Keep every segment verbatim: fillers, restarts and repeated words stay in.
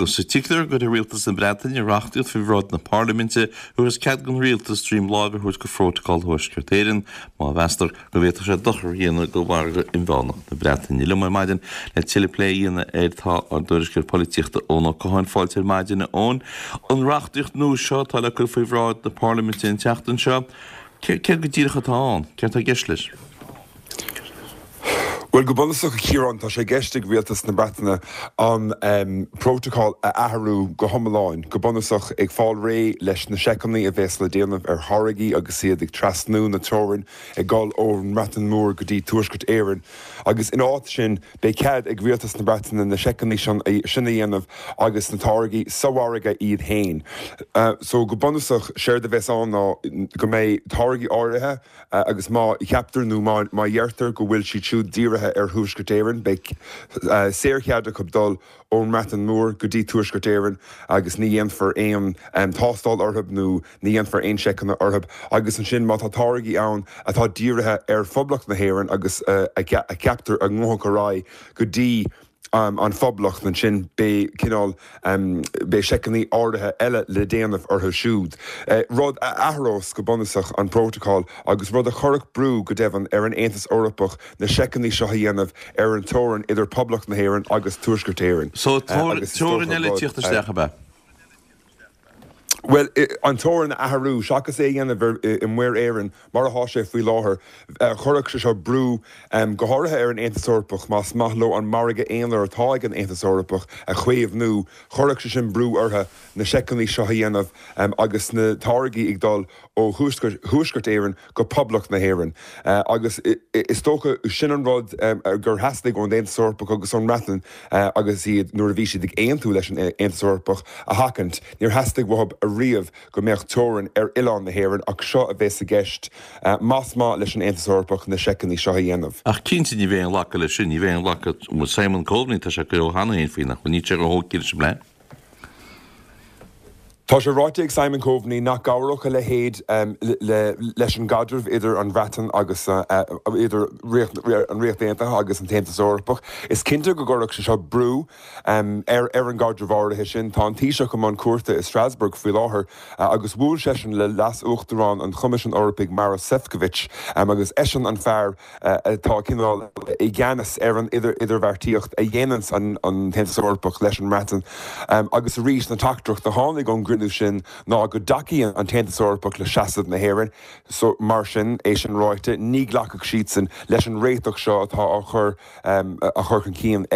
Sa tictar go rialtas na Breataine reachtaíocht faoi bhráid na Parlaiminte agus cead don rialtas droim láimhe a thabhairt do Phrótacal Thuaisceart Éireann má mheastar go bhféadfadh sé dochar a dhéanamh do mhargadh inmheánach na Breataine. Liom ar maidin le tuilleadh plé a dhéanamh air tá ár dtuairisceoir polaitíochta Eoin Ó Catháin fáilte ar maidin Eoin. An reachtaíocht nua seo atá le cur faoi bhráid na Parlaiminte an tseachtain seo, céard go díreach atá ann, céard atá i gceist leis? Well go bunúsach a Chiaráin tá sé i gceist ag rialtas na Breataine an um, protocol a athrú go hiomlán, go bunúsach ag fáil réidh leis na seiceanna a bheas le déanamh ar tháirgí agus iad ag trasnú na teorann ag dul ón mBreatain Mhór go dtí Tuaisceart Éireann. Agus in áit sin beidh cead ag rialtas na Breataine na seiceanna sin a dhéanamh agus na táirgí sa mhargadh iad féin. Uh, so go bunúsach séard a bheas ann ná go mbeidh táirgí áirithe uh, agus má cheaptar nó má, má dheirtear go bhfuil siad siúd dírithe ar Thuaisceart Éireann, beidh uh, saorchead acu dul ón mBreatain Mhór go dtí Tuaisceart Éireann agus ní dhéanfar aon um, tástáil orthu nó ní dhéanfar aon seiceanna orthu agus ansin má tá táirgí ann atá dírithe ar Phoblacht na hÉireann agus uh, a cheaptar a ngabhfaidh ar aghaidh go dtí um, an Phoblacht ansin beidh cineál um, beidh seiceanna áirithe eile le déanamh orthu siúd. Uh, rud a athrós go bunúsach an protocol agus rud a chuirfeadh brú go deimhin ar an Aontas Eorpach na seiceanna seo a dhéanamh ar an teorainn idir Poblacht na hÉireann agus Tuaisceart Éireann. So teorainn eile teacht isteach ab ea? Well an teorainn a athrú seachas é a dhéanamh i Muir Éireann mar atá sé faoi láthair chuirfeadh sé seo brú um, go háirithe ar an Aontas Eorpach más maith leo an margadh aonair atá ag an Aontas Eorpach a chaomhnú chuirfeadh sé sin brú orthu na seiceanna seo a dhéanamh um, agus na táirgí ag dul ó Thuaisceart Éireann go Poblacht na hÉireann. Uh, agus is dócha sin an rud um, gur theastaigh ón Aontas Eorpach agus ón mBreatain uh, agus iad nuair a bhí siad ag aontú leis an Aontas Eorpach a sheachaint, níor theastaigh uathu ariamh go mbeadh teorainn ar oileán na hÉireann ach seo a bheas i gceist uh, más maith leis an Aontas Eorpach na seiceanna seo a dhéanamh. Ach cinnte ní bheidh aon ghlacadh leis sin, ní bheidh aon ghlacadh Simon Coveney tá sé go cheana féin faoi nach ní sé go hócil sem le. Tá sé ráite ag Simon Coveney nach gcabhródh a leithéid um, le, leis an gcaidreamh idir an Bhreatain agus uh, uh, idir an Ríocht Aontaithe agus an tAontas Eorpach. Is cinnte go gcuirfeadh sé seo brú um, ar ar an gcaidreamh áirithe sin tá an Taoiseach i mbun cuairte i Strasbourg faoi láthair uh, agus bhuail seisean le leas-uachtarán an Choimisiúin Eorpaigh Maros Sefcovic um, agus eisean an fear uh, atá cineál i gceannas ar an idir idirbheartaíocht a dhéanann an, an tAontas Eorpach leis an mBreatain um, agus arís an teachtaireacht a tháinig ón gcruinniú sin ná go dtacaíonn an tAontas Eorpach le seasamh na hÉireann, so mar sin é sin ráite ní ghlacfadh siadsan leis an réiteach seo atá á chur um, a chur chun cinn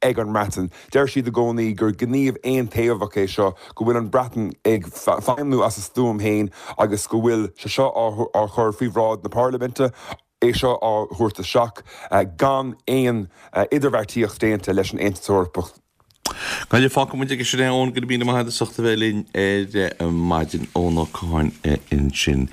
ag an mBreatain. Deir siad i gcónaí gur gníomh aontaobhach é seo go bhfuil an Bhreatain ag feidhmiú as a stuaim féin agus go bhfuil sé seo á chur faoi bhráid na Parlaiminte é seo á thabhairt isteach gan aon idirbheartaíocht déanta leis an Aontas Eorpach. Gaile fágfaidh muid aige sin é Eoin go raibh míle maith agat as ucht a bheith linn ar maidin Eoin Ó Catháin ansin.